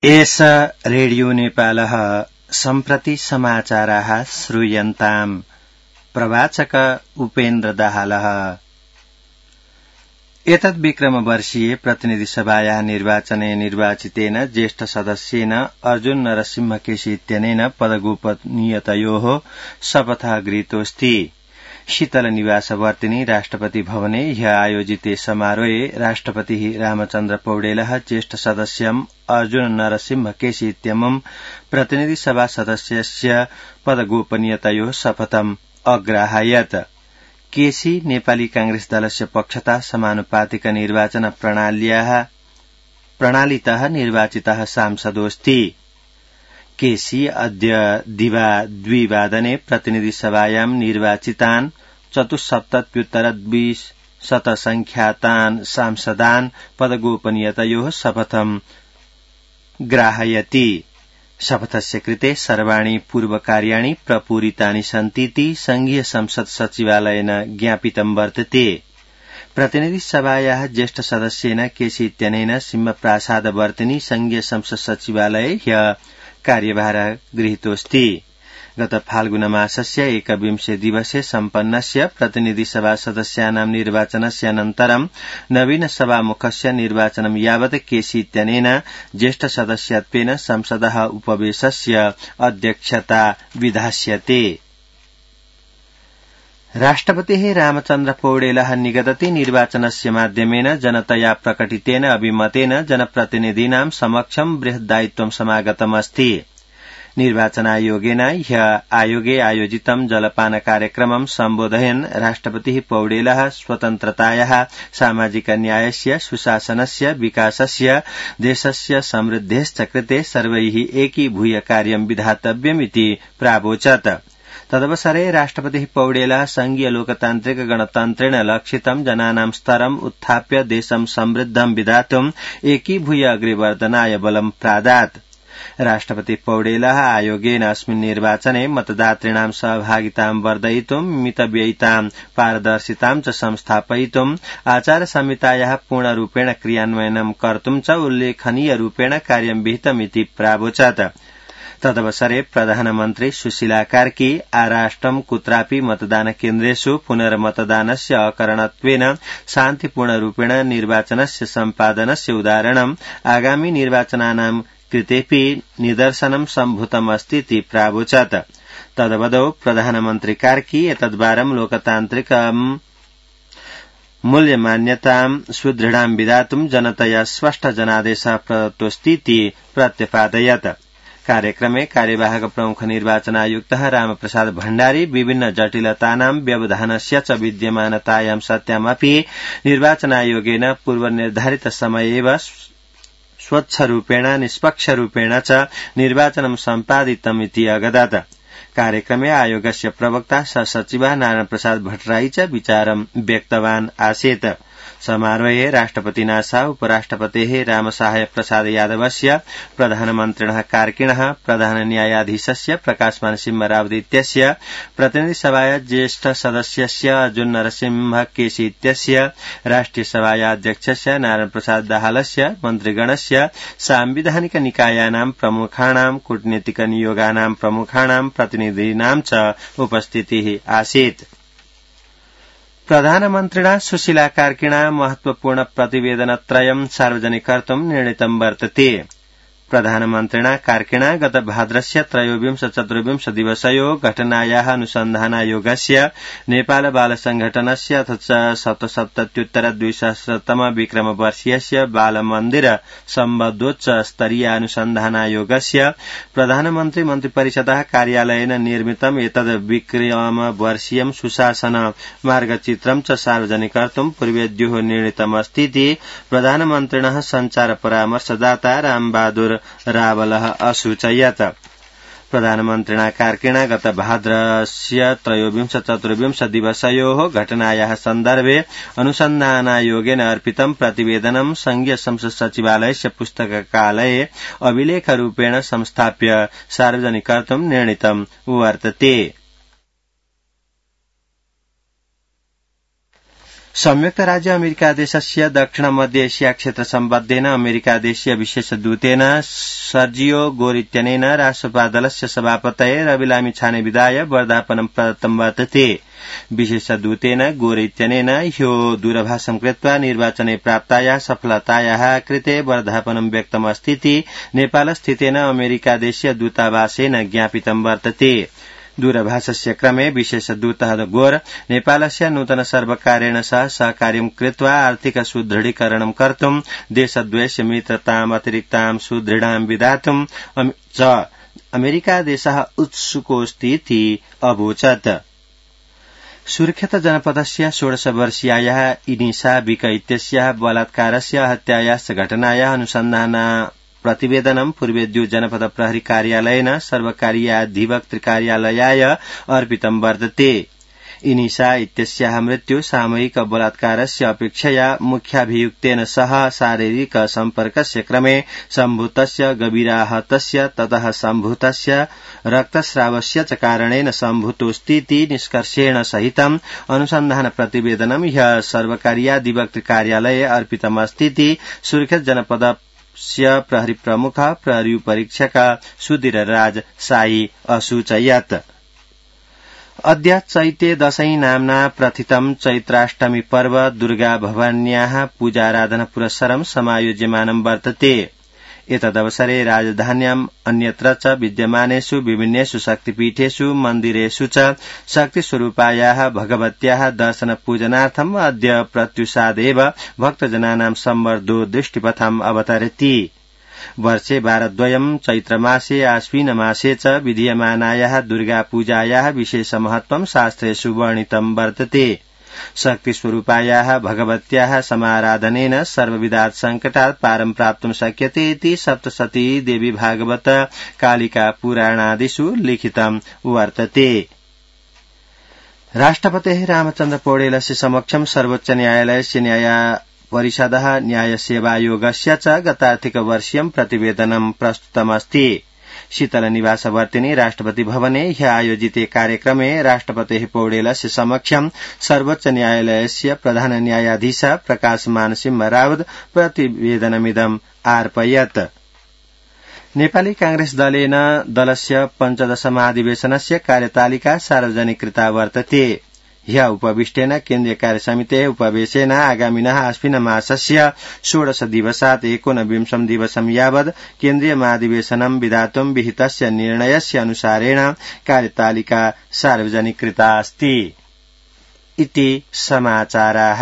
एष रेडियो नेपालः सम्प्रति समाचाराः श्रूयन्ताम्। प्रवाचक उपेन्द्र दाहालः। एतद् विक्रमवर्षीये प्रतिनिधिसभायाः निर्वाचने निर्वाचितेन ज्येष्ठ सदस्येन अर्जुन नरसिंहकेशी इत्यनेन पदगोपनीयतयोः शपथः गृहीतोऽस्ति। शीतलनिवासवर्तिनि राष्ट्रपति भवने ह्यः आयोजिते समारोहे राष्ट्रपतिः रामचन्द्र पौडेलः ज्येष्ठ सदस्यम् अर्जुन नरसिंहकेशी इत्यमुम् प्रतिनिधिसभा सदस्यस्य पदगोपनीयतयोः शपथम् अग्राहयत्। केसी नेपाली कांग्रेस दलस्य पक्षतः समानुपातिक निर्वाचन प्रणालीतः निर्वाचितः सांसदोऽस्ति। केसी अद्य दिवा 2 प्रतिनिधिसभायां निर्वाचितान् 74,20 संख्यातान् सांसदान् पदगोपनीयतयोः शपथम् ग्राहयति। शपथस्य कृते सर्वाणि पूर्वकार्याणि प्रपूरितानि सन्तीति संघीय संसद सचिवालयेन ज्ञापितं वर्तते। प्रतिनिधिसभायाः ज्येष्ठ सदस्येन केसी इत्यनेन सिंहप्रासादवर्तिनि संघीय संसद सचिवालये ह्यः कार्यभारः गृहीतोऽस्ति। गत फाल्गुनमासस्य 21 दिवसे सम्पन्नस्य प्रतिनिधिसभा सदस्यानां निर्वाचनस्य अनन्तरं नवीन सभामुखस्य निर्वाचनं यावत् केसी इत्यनेन ज्येष्ठ सदस्यत्वेन संसदः उपवेशस्य अध्यक्षता विधास्यते। राष्ट्रपतिः रामचन्द्र पौडेलः निगतति निर्वाचनस्य माध्यमेन जनतया प्रकटितेन अभिमतेन जनप्रतिनिधीनां समक्षं बृहद्दायित्वं समागतमस्ति। निर्वाचनायोगेन ह्यः आयोगे आयोजितं जलपान कार्यक्रमं सम्बोधयन् राष्ट्रपतिः पौडेलः स्वतन्त्रतायाः सामाजिक न्यायस्य सुशासनस्य विकासस्य देशस्य समृद्धेश्च कृते सर्वैः एकीभूय कार्यं विधातव्यमिति प्रावोचत्। तदवसरे राष्ट्रपतिः पौडेलः संघीय लोकतान्त्रिक गणतन्त्रेण लक्षितं जनानां स्तरम् उत्थाप्य देशं समृद्धं विधातुम् एकीभूय अग्रेवर्धनाय बलं प्रादात्। राष्ट्रपति पौडेलः आयोगेन अस्मिन् निर्वाचने मतदातॄणां सहभागितां वर्धयितुं मितव्ययितां पारदर्शितां च संस्थापयितुं आचारसंहितायाः पूर्णरूपेण क्रियान्वयनं कर्तुं च उल्लेखनीय रूपेण कार्यं विहितमिति प्रावोचत्। तदवसरे प्रधानमन्त्री सुशीला कार्की आराष्ट्रं कुत्रापि मतदानकेन्द्रेषु पुनर्मतदानस्य अकरणत्वेन शान्तिपूर्णरूपेण निर्वाचनस्य सम्पादनस्य उदाहरणम् आगामि निर्वाचनानां कृतेऽपि निदर्शनं सम्भूतमस्तीति प्रावोचत्। तदवदौ प्रधानमन्त्री कार्की एतद्वारं लोकतान्त्रिकं मूल्यमान्यतां सुदृढां विधातुं जनतया स्पष्ट जनादेशः प्रदत्तोऽस्तीति प्रत्यपादयत्। कार्यक्रमे कार्यवाहक प्रमुख निर्वाचनायुक्तः रामप्रसाद भण्डारी विभिन्न जटिलतानां व्यवधानस्य च विद्यमानतायां सत्यामपि निर्वाचनायोगेन पूर्वनिर्धारित समये एव स्वच्छरूपेण निष्पक्षरूपेण च निर्वाचनं सम्पादितमिति अगदत्। कार्यक्रमे आयोगस्य प्रवक्ता सहसचिवः नारायण प्रसाद भट्टराई च विचारं व्यक्तवान् आसीत्। समारोहे राष्ट्रपतिना सह उपराष्ट्रपतेः रामसहाय प्रसाद यादवस्य प्रधानमन्त्रिणः कार्किणः प्रधान न्यायाधीशस्य प्रकाशमान सिंहरावदित्यस्य प्रतिनिधिसभाया ज्येष्ठ सदस्यस्य अर्जुन नरसिंहकेशी इत्यस्य राष्ट्रियसभाया अध्यक्षस्य नारायण प्रसाद दाहालस्य मन्त्रिगणस्य सांविधानिक निकायानां प्रमुखाणां कूटनीतिक नियोगानां प्रमुखाणां प्रतिनिधीनां च उपस्थितिः आसीत्। प्रधानमन्त्रिणा सुशीला कार्किणा महत्वपूर्ण प्रतिवेदनत्रयं सार्वजनिकर्तुं निर्णीतं वर्तते। प्रधानमन्त्रिणा कार्किणा गत भाद्रस्य 23-24 दिवसयोः घटनायाः अनुसन्धानायोगस्य नेपाल बाल संघटनस्य अथ च 77,200 विक्रमवर्षीयस्य बालमन्दिर सम्बद्धोच्च स्तरीय अनुसन्धानायोगस्य प्रधानमन्त्री मन्त्रिपरिषदः कार्यालयेन निर्मितम् एतद् विक्रमवर्षीयं सुशासन मार्गचित्रं च सार्वजनिकर्तुं पूर्वेद्योः निर्णीतमस्तीति प्रधानमन्त्रिणः सञ्चार परामर्शदाता रामबहादुर रावलः असूचयत्। प्रधानमन्त्रिणा कार्किणा गत भाद्रस्य 23-24 दिवसयोः घटनायाः सन्दर्भे अनुसन्धानायोगेन अर्पितं प्रतिवेदनं संघीय संसद सचिवालयस्य पुस्तकालये अभिलेखरूपेण संस्थाप्य सार्वजनिकर्तुं निर्णीतं वर्तते। संयुक्त राज्य अमेरिका देशस्य दक्षिण मध्य एशिया क्षेत्र सम्बद्धेन अमेरिका देशीय विशेष दूतेन सर्जियो गोर इत्यनेन राष्ट्रपादलस्य सभापतये रविलामी छाने विदाय वर्धापनं प्रदत्तं वर्तते। विशेषदूतेन गोर इत्यनेन ह्यो दूरभाषं कृत्वा निर्वाचने प्राप्तायाः सफलतायाः कृते वर्धापनं व्यक्तमस्तीति नेपालस्थितेन अमेरिका देशीय दूतावासेन ज्ञापितं वर्तते। दूरभाषस्य क्रमे विशेषदूतः गोर नेपालस्य नूतन सर्वकारेण सह सहकार्यं कृत्वा आर्थिक सुदृढीकरणं कर्तुं देशद्वयस्य मित्रताम् अतिरिक्तां सुदृढां विधातुं च अमेरिका देशः उत्सुकोऽस्तीति अवोचत्। सुर्खेत जनपदस्य 16 वर्षीयायाः इनिसा बिक इत्यस्याः बलात्कारस्य हत्यायाश्च घटनायाः अनुसन्धान प्रतिवेदनं पूर्वेद्यु जनपद प्रहरी कार्यालयेन सर्वकारीय अधिवक्तृ कार्यालयाय अर्पितं वर्तते। इनिसा इत्यस्याः मृत्यु सामूहिक बलात्कारस्य अपेक्षया मुख्याभियुक्तेन सह शारीरिक सम्पर्कस्य क्रमे सम्भूतस्य गभीराहतस्य ततः सम्भूतस्य रक्तस्रावस्य च कारणेन सम्भूतोऽस्तीति निष्कर्षेण सहितम् अनुसन्धान प्रतिवेदनं ह्यः सर्वकारीयाधिवक्तृ कार्यालये अर्पितमस्तीति सुर्खेत जनपदस्य प्रहरी प्रमुख प्रहरी परीक्षक सुधीरराज साई असूचयत्। अद्य चैते दशैं नाम्ना प्रथितं चैत्राष्टमी पर्व दुर्गा भवान्याः पूजाराधना पुरस्सरं समायोज्यमानं वर्तते। एतदवसरे राजधान्याम् अन्यत्र च विद्यमानेषु विभिन्नेषु शक्तिपीठेषु मन्दिरेषु च शक्तिस्वरूपायाः भगवत्याः दर्शन पूजनार्थम् अद्य प्रत्युषादेव भक्तजनानां संवर्धो दृष्टिपथम् अवतरति। वर्षे वारद्वयं चैत्रमासे आश्विनमासे च विधीयमानायाः दुर्गापूजायाः विशेष महत्वं शास्त्रेषु वर्णितं वर्तते। शक्तिस्वरूपायाः भगवत्याः समाराधनेन सर्वविधात् सङ्कटात् पारं प्राप्तुं शक्यते इति सप्तशती देवी भागवत कालिका पुराणादिषु लिखितं वर्तते। राष्ट्रपतेः रामचन्द्र पौडेलस्य समक्षं सर्वोच्च न्यायालयस्य न्यायपरिषदः न्यायसेवायोगस्य च गतार्थिकवर्षीयं प्रतिवेदनं प्रस्तुतमस्ति। शीतलनिवासवर्तिनि राष्ट्रपति भवने ह्यः आयोजिते कार्यक्रमे राष्ट्रपतेः पौडेलस्य समक्षं सर्वोच्च न्यायालयस्य प्रधान न्यायाधीश प्रकाशमान सिंह रावत प्रतिवेदनमिदम् आर्पयत्। नेपाली कांग्रेस दलेन दलस्य 15 महाधिवेशनस्य कार्यतालिका सार्वजनिकृता वर्तते। ह्यः उपविष्टेन केन्द्रीय कार्यसमितेः उपवेशेन आगामिनः आश्विनमासस्य 16 दिवसात् 19 दिवसं यावत् केन्द्रीय महाधिवेशनं विधातुं विहितस्य निर्णयस्य अनुसारेण कार्यतालिका सार्वजनिकृता अस्ति इति समाचाराः।